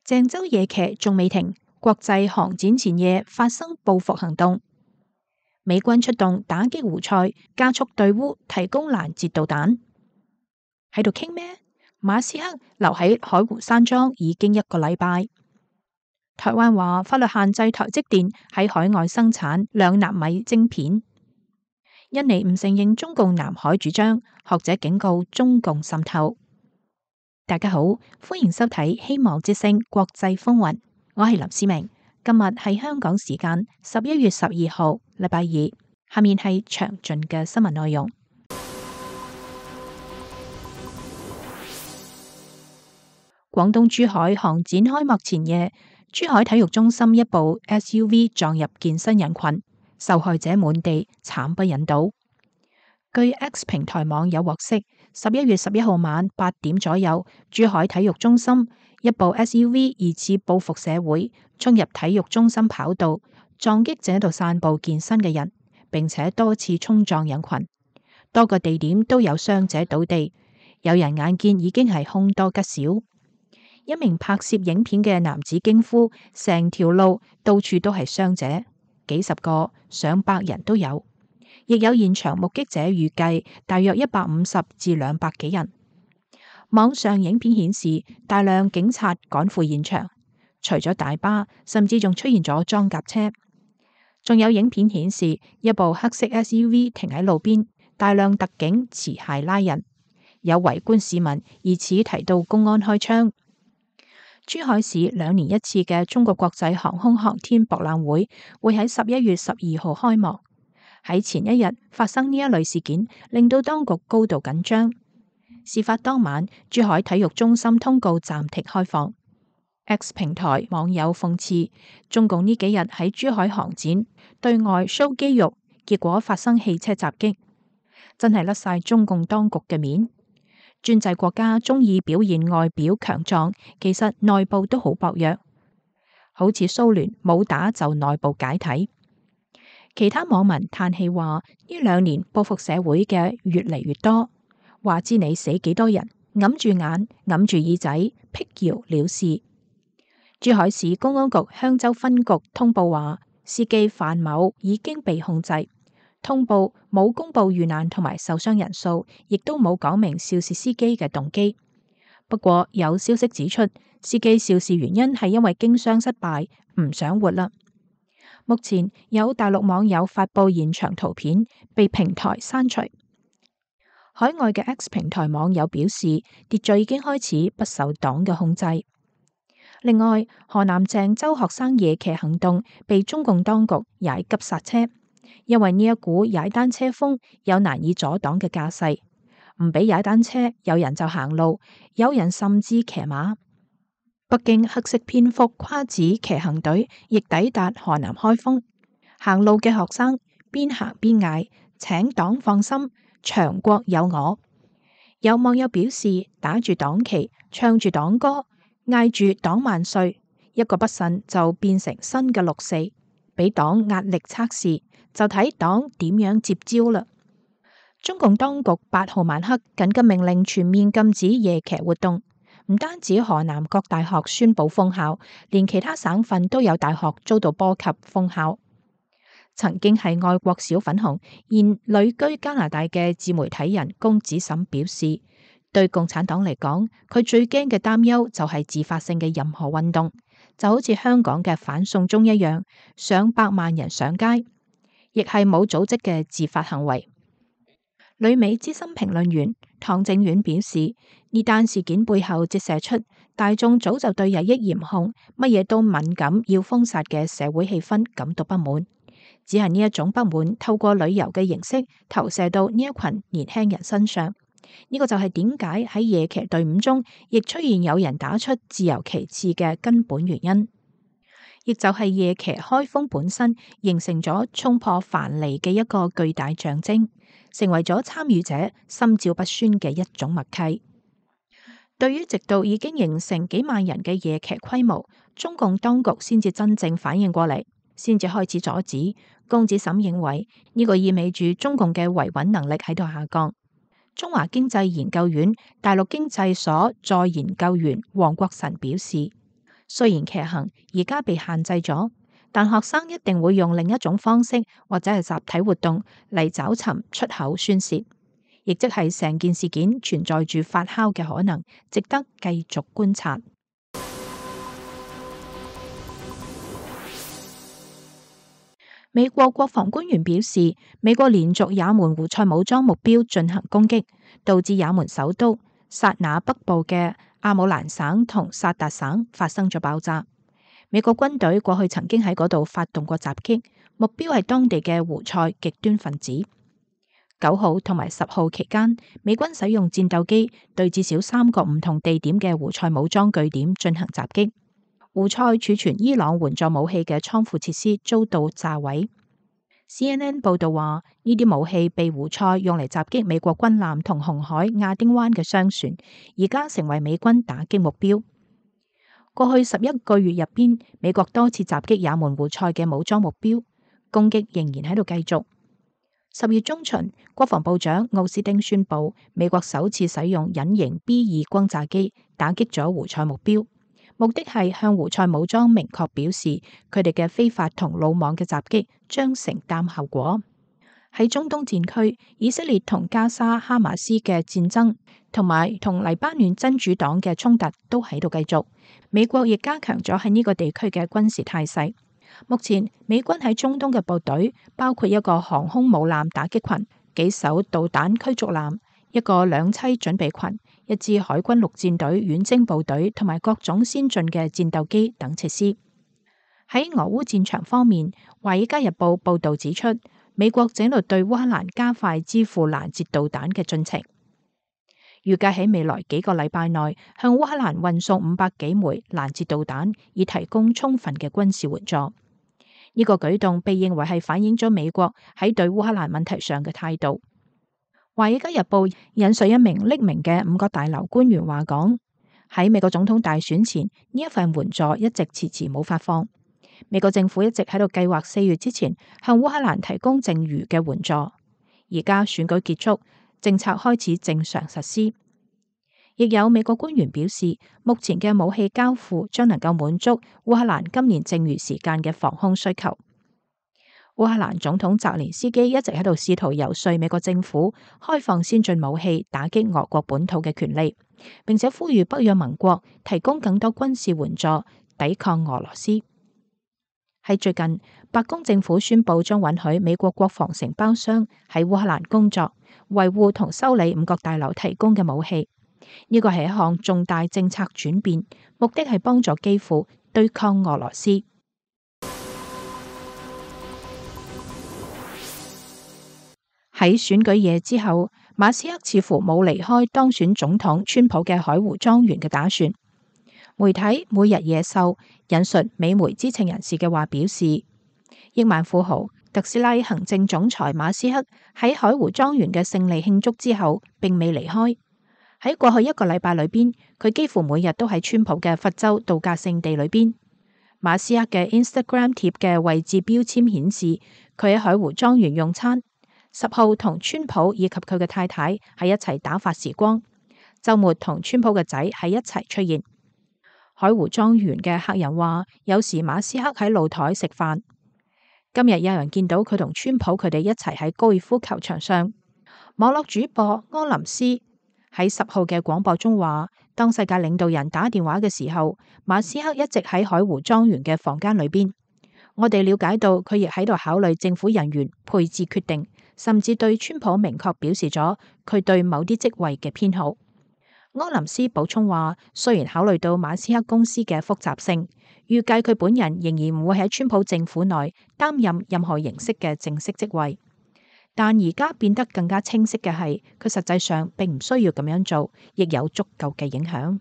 鄭州夜騎仲未停，國際航展前夜發生報復行動。美軍出動打擊胡塞，加速對烏提供攔截導彈。喺度傾咩？馬斯克留喺海湖山莊已經1個禮拜。台灣話法律限制台積電喺海外生產2納米晶片。印尼唔承認中共南海主張，學者警告中共滲透。大家好，歡迎收睇希望之聲國際風雲，我係林思明。今日係香港時間11月12號，禮拜二。下面係詳盡嘅新聞內容。廣東珠海航展開幕前夜，珠海體育中心一部 SUV 撞入健身人群，受害者滿地，慘不忍睹。據 X 平台網友獲悉，11月11號晚8點左右，珠海體育中心一部 SUV 疑似報復社會，衝入體育中心跑道，撞擊正喺度散步健身嘅人，並且多次衝撞人群，多個地點都有傷者倒地，有人眼見已經係凶多吉少。一名拍攝影片嘅男子驚呼：成條路到處都係傷者，幾十個、上百人都有。亦有現場目擊者預計大約150至200幾人。網上影片顯示大量警察趕赴現場，除咗大巴，甚至仲出現咗裝甲車。仲有影片顯示一部黑色 SUV 停喺路邊，大量特警持械拉人，有圍觀市民疑似提到公安開槍。珠海市2年1次嘅中國國際航空航天博覽會會喺11月12號開幕。喺前一日發生呢一類事件，令到當局高度緊張。事發當晚，珠海體育中心通告暫停開放。X 平台網友諷刺中共呢幾日喺珠海航展對外 show 肌肉，結果發生汽車襲擊，真係甩晒中共當局嘅面。專制國家中意表現外表強壯，其實內部都好薄弱，好似蘇聯冇打就內部解體。其他網民嘆氣話：呢2年報復社會嘅越嚟越多，話知你死幾多人，揞住眼揞住耳仔辟謠了事。珠海市公安局香洲分局通報話，司機范某已經被控制。通報冇公布遇難同埋受傷人數，亦都冇講明肇事司機嘅動機。不過有消息指出，司機肇事原因係因為經商失敗，唔想活啦。目前有大陸網友發布現場圖片，被平台刪除。海外嘅 X 平台網友表示，秩序已經開始不受黨嘅控制。另外，河南鄭州學生夜騎行動被中共當局踩急剎車，因為呢一股踩單車風有難以阻擋嘅架勢，唔俾踩單車，有人就行路，有人甚至騎馬。北京黑色蝙蝠跨指騎行隊亦抵達河南開封，行路嘅學生邊行邊嗌：請黨放心，強國有我。有網友表示，打住黨旗，唱住黨歌，嗌住黨萬歲，一個不慎就變成新嘅6·4，俾黨壓力測試，就睇黨點樣接招啦。中共當局8號晚黑緊急命令全面禁止夜騎活動。唔單止河南各大學宣布封校，連其他省份都有大學遭到波及封校。曾經係愛國小粉紅，現旅居加拿大嘅自媒體人龔子沈表示，對共產黨嚟講，佢最驚嘅擔憂就係自發性嘅任何運動，就好似香港嘅反送中一樣，上百萬人上街，亦係冇組織嘅自發行為。旅美資深評論員唐正遠表示，呢單事件背後折射出大眾早就對日益嚴控、乜嘢都敏感要封殺嘅社會氣氛感到不滿，只係呢一種不滿透過旅遊嘅形式投射到呢一群年輕人身上。呢個就係點解喺夜騎隊伍中亦出現有人打出自由旗幟嘅根本原因，亦就係夜騎開封本身形成咗衝破藩籬嘅一個巨大象徵，成為咗參與者心照不宣嘅一種默契。對於直到已經形成幾萬人嘅夜騎規模，中共當局先至真正反應過嚟，先至開始阻止。龔子沈認為呢個意味住中共嘅維穩能力喺度下降。中華經濟研究院大陸經濟所在研究員黃國臣表示，雖然騎行而家被限制咗，但學生一定會用另一種方式或者係集體活動嚟找尋出口宣洩，亦即係成件事件存在住發酵嘅可能，值得繼續觀察。美國國防官員表示，美國連續也門胡塞武裝目標進行攻擊，導致也門首都薩那北部嘅阿姆蘭省同薩達省發生咗爆炸。美國軍隊過去曾經喺嗰度發動過襲擊，目標係當地嘅胡塞極端分子。9號同埋10號期間，美軍使用戰鬥機對至少3個唔同地點嘅胡塞武裝據點進行襲擊。胡塞儲存伊朗援助武器嘅倉庫設施遭到炸毀。CNN 報道話，呢啲武器被胡塞用嚟襲擊美國軍艦同紅海亞丁灣嘅商船，而家成為美軍打擊目標。過去11個月入邊，美國多次襲擊也門胡塞嘅武裝目標，攻擊仍然喺度繼續。10月中旬，國防部長奧斯汀宣布，美國首次使用隱形 B-2轟炸機打擊咗胡塞目標。目的係向胡塞武裝明確表示，佢哋嘅非法同魯莽嘅襲擊將承擔後果。喺中東戰區，以色列同加沙哈馬斯嘅戰爭，同埋同黎巴嫩真主黨嘅衝突都喺度繼續。美國亦加強咗喺呢個地區嘅軍事態勢。目前，美軍喺中東嘅部隊包括一個航空母艦打擊群、幾艘導彈驅逐艦、一個兩棲準備群、一支海軍陸戰隊遠征部隊同埋各種先進嘅戰鬥機等設施。喺俄烏戰場方面，《華爾街日報》報道指出，美國正喺度對烏克蘭加快支付攔截導彈嘅進程，預計喺未來幾個禮拜內向烏克蘭運送500幾枚攔截導彈，以提供充分嘅軍事援助。呢個舉動被認為係反映咗美國喺對烏克蘭問題上嘅態度。《華爾街日報》引述一名匿名嘅5角大樓官員話講，喺美國總統大選前，呢一份援助一直遲遲冇發放。美國政府一直喺度計劃4月之前向烏克蘭提供剩餘嘅援助。而家選舉結束，政策開始正常實施。亦有美國官員表示，目前嘅武器交付將能夠滿足烏克蘭今年剩餘時間嘅防空需求。烏克蘭總統澤連斯基一直喺度試圖游說美國政府開放先進武器打擊俄國本土嘅權利，並且呼籲北約盟國提供更多軍事援助抵抗俄羅斯。喺最近，白宮政府宣布將允許美國國防承包商喺烏克蘭工作，維護同修理5角大樓提供嘅武器。呢個係一項重大政策轉變，目的係幫助基輔對抗俄羅斯。喺選舉夜之後，馬斯克似乎冇離開當選總統川普嘅海湖莊園嘅打算。媒體每日野獸引述美媒知情人士嘅話表示，億萬富豪特斯拉行政總裁馬斯克喺海湖莊園嘅勝利慶祝之後並未離開。喺過去1個禮拜裏邊，佢幾乎每日都喺川普嘅佛州度假勝地裏邊。馬斯克嘅 Instagram 貼嘅位置標籤顯示，佢喺海湖莊園用餐。10號同川普以及佢嘅太太喺一齊打發時光，週末同川普嘅仔喺一齊出現。海湖莊園嘅客人話，有時馬斯克喺露台食飯。今日有人見到佢同川普佢哋一齊喺高爾夫球場上。網絡主播柯林斯喺10號嘅廣播中話，當世界領導人打電話嘅時候，馬斯克一直喺海湖莊園嘅房間裏邊。我哋了解到佢亦喺度考慮政府人員配置決定，甚至對川普明確表示咗佢對某啲職位嘅偏好。柯林斯補充話，雖然考慮到馬斯克公司嘅複雜性，預計佢本人仍然唔會喺川普政府內擔任任何形式嘅正式職位，但而家變得更加清晰嘅係，佢實際上並唔需要咁樣做，亦有足夠嘅影響。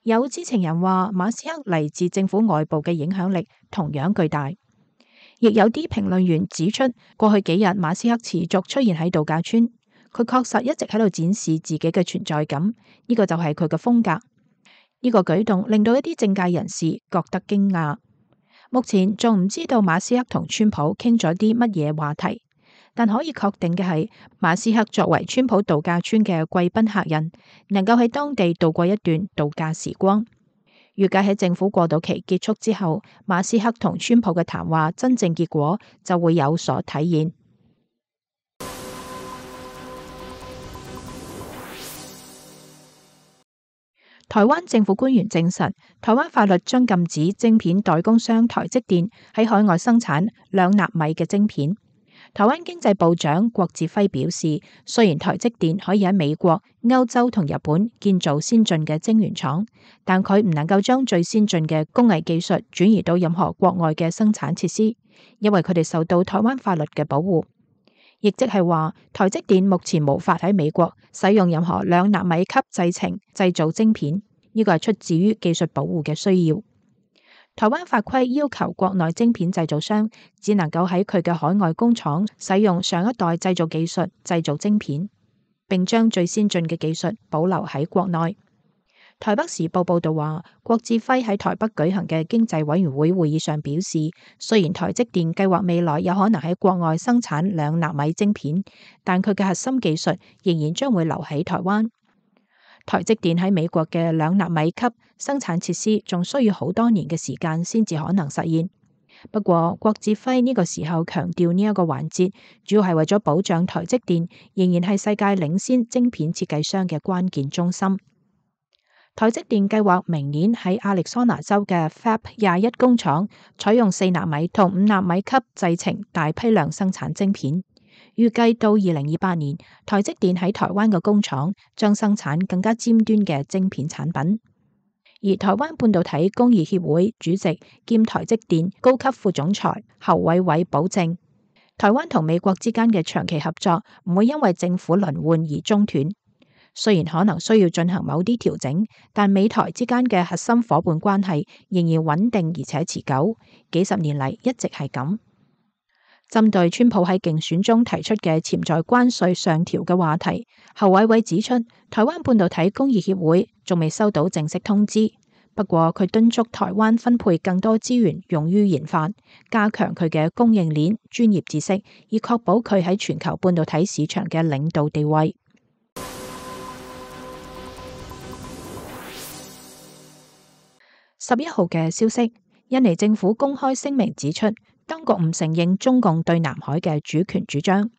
有知情人話，馬斯克嚟自政府外部嘅影響力同樣巨大。亦有啲評論員指出，過去幾日馬斯克持續出現喺度假村，佢確實一直喺度展示自己嘅存在感，呢個就係佢嘅風格。呢個舉動令到一啲政界人士覺得驚訝。目前仲唔知道馬斯克同川普傾咗啲乜嘢話題，但可以確定嘅係，馬斯克作為川普度假村嘅貴賓客人，能夠喺當地度過一段度假時光。預計喺政府過渡期結束之後，馬斯克同川普嘅談話真正結果就會有所體現。台灣政府官員證實，台灣法律將禁止晶片代工商台積電喺海外生產2納米嘅晶片。台灣經濟部長郭志輝表示，雖然台積電可以喺美國、歐洲同日本建造先進嘅晶圓廠，但佢唔能夠將最先進嘅工藝技術轉移到任何國外嘅生產設施，因為佢哋受到台灣法律嘅保護。亦即係話，台積電目前無法喺美國使用任何2納米級製程製造晶片，呢個係出自於技術保護嘅需要。台灣法規要求國內晶片製造商只能夠喺佢嘅海外工廠使用上一代製造技術製造晶片，並將最先進嘅技術保留喺國內。台北時報報道話，郭志輝喺台北舉行嘅經濟委員會會議上表示，雖然台積電計劃未來有可能喺國外生產2納米晶片，但佢嘅核心技術仍然將會留喺台灣。台積電喺美國嘅2納米級生產設施仲需要好多年嘅時間先至可能實現。不過，郭志輝呢個時候強調呢一個環節，主要係為咗保障台積電仍然係世界領先晶片設計商嘅關鍵中心。台積電計劃明年喺亞利桑那州嘅 Fab 21工廠採用4納米同5納米級製程大批量生產晶片，預計到2028年，台積電喺台灣嘅工廠將生產更加尖端嘅晶片產品。而台灣半導體工業協會主席兼台積電高級副總裁侯偉偉保證，台灣同美國之間嘅長期合作唔會因為政府輪換而中斷。雖然可能需要進行某啲調整，但美台之間嘅核心夥伴關係仍然穩定而且持久，幾十年嚟一直係咁。針對川普喺競選中提出嘅潛在關稅上調嘅話題，侯偉偉指出，台灣半導體工業協會仲未收到正式通知，不過佢敦促台灣分配更多資源用於研發，加強佢嘅供應鏈專業知識，以確保佢喺全球半導體市場嘅領導地位。11號嘅消息，印尼政府公開聲明指出，當局唔承認中共對南海嘅主權主張。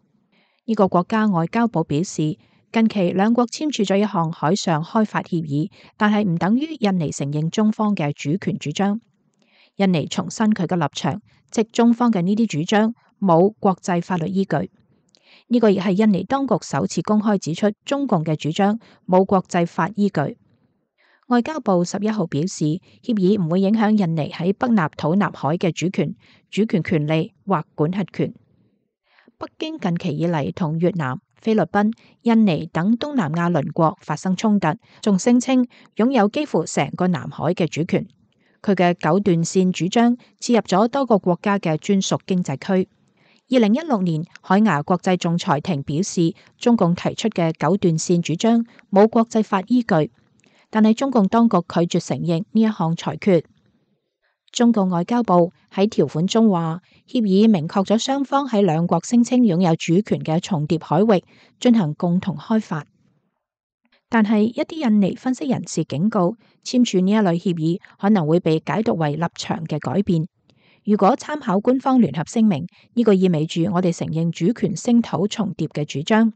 呢個國家外交部表示，近期兩國簽署咗一項海上開發協議，但係唔等於印尼承認中方嘅主權主張。印尼重申佢嘅立場，即中方嘅呢啲主張冇國際法律依據。呢個亦係印尼當局首次公開指出中共嘅主張冇國際法依據。外交部11號表示，協議唔會影響印尼喺北納土納海嘅主權權利或管轄權。北京近期以嚟同越南、菲律賓、印尼等東南亞鄰國發生衝突，仲聲稱擁有幾乎成個南海嘅主權。佢嘅九段線主張切入咗多個國家嘅專屬經濟區。2016年，海牙國際仲裁庭表示，中共提出嘅九段線主張冇國際法依據。但係中共當局拒絕承認呢一項裁決。中共外交部喺條款中話，協議明確咗雙方喺兩國聲稱擁有主權嘅重疊海域進行共同開發。但係一啲印尼分析人士警告，簽署呢一類協議可能會被解讀為立場嘅改變。如果參考官方聯合聲明，呢個意味住我哋承認主權聲討重疊嘅主張。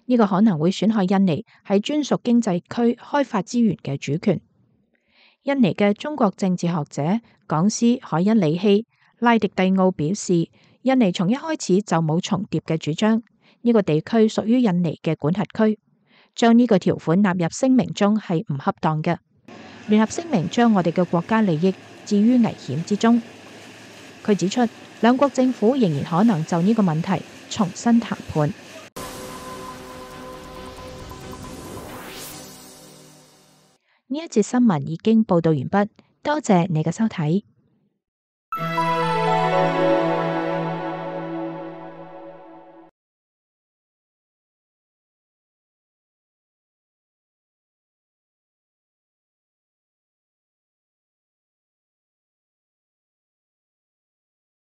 呢個可能會損害印尼喺專屬經濟區開發資源嘅主權。印尼嘅中國政治學者講師海因里希拉迪蒂奧表示，印尼從一開始就冇重疊嘅主張，呢個地區屬於印尼嘅管轄區，將呢個條款納入聲明中係唔恰當嘅。聯合聲明將我哋嘅國家利益置於危險之中。佢指出，兩國政府仍然可能就呢個問題重新談判。呢一節新聞已經報道完畢，多謝你嘅收睇。